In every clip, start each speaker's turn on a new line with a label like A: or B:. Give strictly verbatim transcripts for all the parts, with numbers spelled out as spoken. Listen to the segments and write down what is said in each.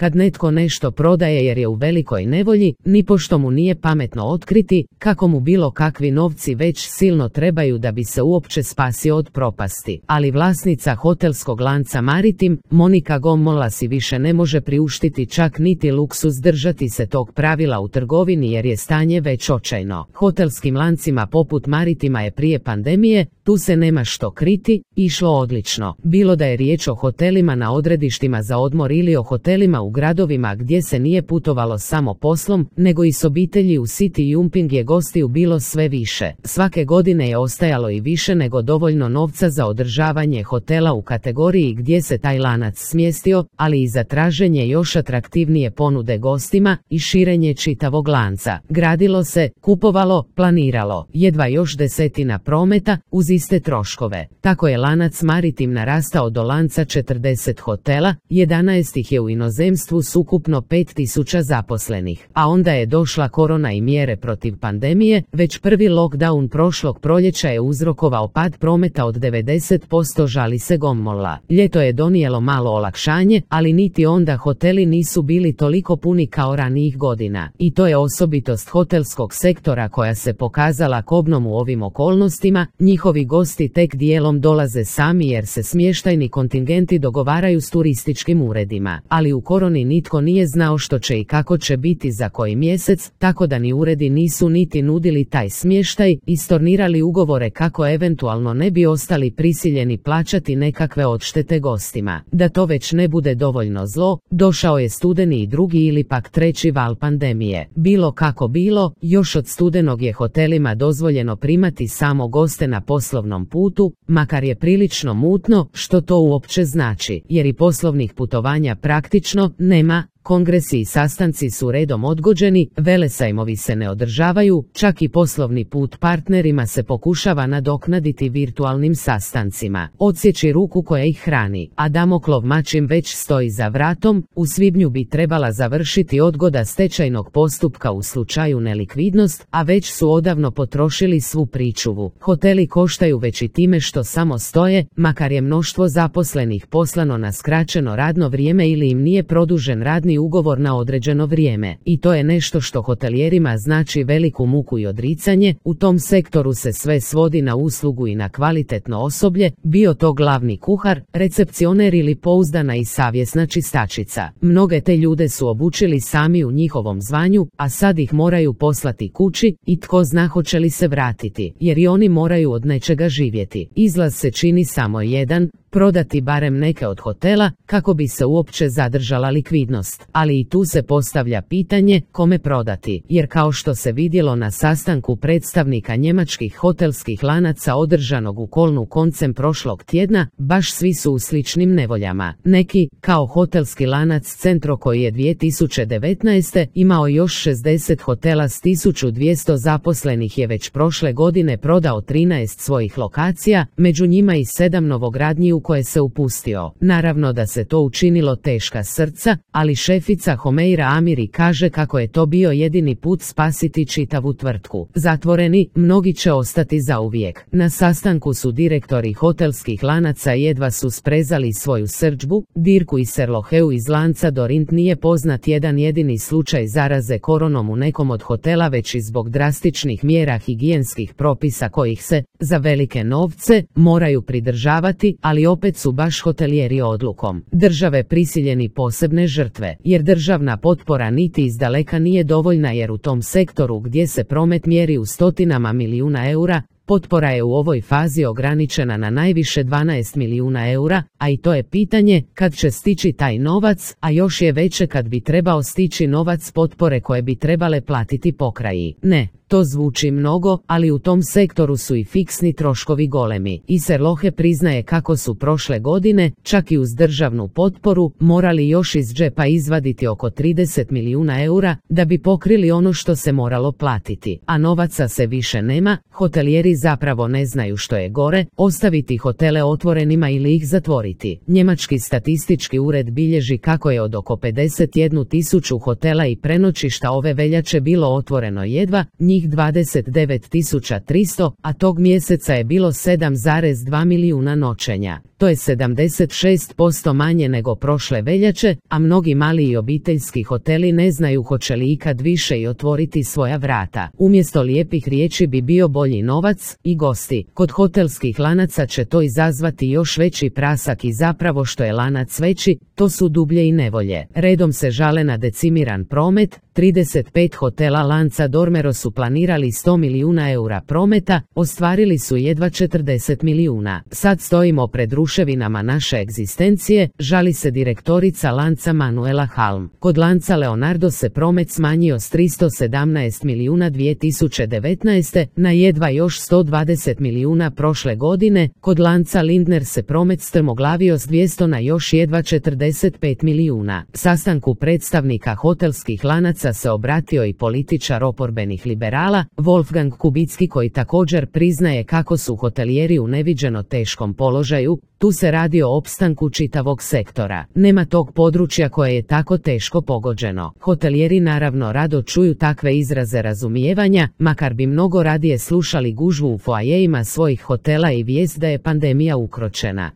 A: Kad netko nešto prodaje jer je u velikoj nevolji, nipošto mu nije pametno otkriti kako mu bilo kakvi novci već silno trebaju da bi se uopće spasio od propasti. Ali vlasnica hotelskog lanca Maritim, Monika Gommola, si više ne može priuštiti čak niti luksuz držati se tog pravila u trgovini jer je stanje već očajno. Hotelskim lancima poput Maritima je prije pandemije, tu se nema što kriti, išlo odlično. Bilo da je riječ o hotelima na odredištima za odmor ili o hotelima u gradovima gdje se nije putovalo samo poslom, nego i s obitelji u city jumping je gostiju bilo sve više. Svake godine je ostajalo i više nego dovoljno novca za održavanje hotela u kategoriji gdje se taj lanac smjestio, ali i za traženje još atraktivnije ponude gostima i širenje čitavog lanca. Gradilo se, kupovalo, planiralo, jedva još desetina prometa uz iste troškove. Tako je lanac Maritim narastao do lanca četrdeset hotela, jedanaest ih je u inozemstvu s ukupno pet tisuća zaposlenih. A onda je došla korona i mjere protiv pandemije, već prvi lockdown prošlog proljeća je uzrokovao pad prometa od devedeset posto, žali se Gommola. Ljeto je donijelo malo olakšanje, ali niti onda hoteli nisu bili toliko puni kao ranijih godina. I to je osobitost hotelskog sektora koja se pokazala kobnom u ovim okolnostima. Njihovi gosti tek dijelom dolaze sami jer se smještajni kontingenti dogovaraju s turističkim uredima. Ali u koroni nitko nije znao što će i kako će biti za koji mjesec, tako da ni uredi nisu niti nudili taj smještaj i stornirali ugovore kako eventualno ne bi ostali prisiljeni plaćati nekakve odštete gostima. Da to već ne bude dovoljno zlo, došao je studeni i drugi ili pak treći val pandemije. Bilo kako bilo, još od studenog je hotelima dozvoljeno primati samo goste na poslovnom putu, makar je prilično mutno što to uopće znači, jer i poslovnih putovanja praktično nema. Kongresi i sastanci su redom odgođeni, velesajmovi se ne održavaju, čak i poslovni put partnerima se pokušava nadoknaditi virtualnim sastancima. Odsjeći ruku koja ih hrani, a Damoklov mač im već stoji za vratom. U svibnju bi trebala završiti odgoda stečajnog postupka u slučaju nelikvidnost, a već su odavno potrošili svu pričuvu. Hoteli koštaju već i time što samo stoje, makar je mnoštvo zaposlenih poslano na skraćeno radno vrijeme ili im nije produžen radni ugovor na određeno vrijeme. I to je nešto što hotelijerima znači veliku muku i odricanje. U tom sektoru se sve svodi na uslugu i na kvalitetno osoblje, bio to glavni kuhar, recepcioner ili pouzdana i savjesna čistačica. Mnoge te ljude su obučili sami u njihovom zvanju, a sad ih moraju poslati kući i tko zna hoće li se vratiti, jer i oni moraju od nečega živjeti. Izlaz se čini samo jedan, prodati barem neke od hotela kako bi se uopće zadržala likvidnost. Ali i tu se postavlja pitanje kome prodati, jer kao što se vidjelo na sastanku predstavnika njemačkih hotelskih lanaca održanog u Kolnu koncem prošlog tjedna, baš svi su u sličnim nevoljama. Neki, kao hotelski lanac Centro koji je dvije tisuće devetnaeste. imao još šezdeset hotela s tisuću dvjesto zaposlenih, je već prošle godine prodao trinaest svojih lokacija, među njima i sedam novogradnji u koje se upustio. Naravno da se to učinilo teška srca, ali šefica Homeira Amiri kaže kako je to bio jedini put spasiti čitavu tvrtku. Zatvoreni, mnogi će ostati zauvijek. Na sastanku su direktori hotelskih lanaca jedva su sprezali svoju srdžbu. Dirku i Serloheu iz lanca Dorint nije poznat jedan jedini slučaj zaraze koronom u nekom od hotela, već i zbog drastičnih mjera higijenskih propisa kojih se, za velike novce, moraju pridržavati, ali opet su baš hotelijeri odlukom države prisiljeni posebne žrtve, jer državna potpora niti izdaleka nije dovoljna, jer u tom sektoru gdje se promet mjeri u stotinama milijuna eura, potpora je u ovoj fazi ograničena na najviše dvanaest milijuna eura, a i to je pitanje kad će stići taj novac, a još je veće kad bi trebao stići novac potpore koje bi trebale platiti pokraji. Ne, to zvuči mnogo, ali u tom sektoru su i fiksni troškovi golemi. I Serlohe priznaje kako su prošle godine, čak i uz državnu potporu, morali još iz džepa izvaditi oko trideset milijuna eura da bi pokrili ono što se moralo platiti. A novaca se više nema, hotelijeri hotelijeri zapravo ne znaju što je gore, ostaviti hotele otvorenima ili ih zatvoriti. Njemački statistički ured bilježi kako je od oko pedeset jednu tisuću hotela i prenoćišta ove veljače bilo otvoreno jedva, njih dvadeset devet tisuća tristo, a tog mjeseca je bilo sedam zarez dva milijuna noćenja. To je sedamdeset šest posto manje nego prošle veljače, a mnogi mali i obiteljski hoteli ne znaju hoće li ikad više i otvoriti svoja vrata. Umjesto lijepih riječi bi bio bolji novac i gosti. Kod hotelskih lanaca će to izazvati još veći prasak i zapravo što je lanac veći, to su dublje i nevolje. Redom se žale na decimiran promet, trideset pet hotela lanca Dormero su planirali sto milijuna eura prometa, ostvarili su jedva četrdeset milijuna. Sad stojimo pred ruševinama naše egzistencije, žali se direktorica lanca Manuela Halm. Kod lanca Leonardo se promet smanjio s tristo sedamnaest milijuna dvije tisuće devetnaeste. na jedva još sto dvadeset milijuna prošle godine, kod lanca Lindner se promet strmoglavio s dvjesto na još jedva četrdeset pet milijuna. Sastanku predstavnika hotelskih lanaca se obratio i političar oporbenih liberala, Wolfgang Kubicki, koji također priznaje kako su hotelijeri u neviđeno teškom položaju. Tu se radi o opstanku čitavog sektora. Nema tog područja koje je tako teško pogođeno. Hotelijeri naravno rado čuju takve izraze razumijevanja, makar bi mnogo radije slušali gužvu u foajejima svojih hotela i vijest da je pandemija ukročena.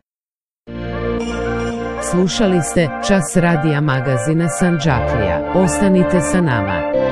A: Slušali ste Čas radija magazina Sandžaklija. Ostanite sa nama.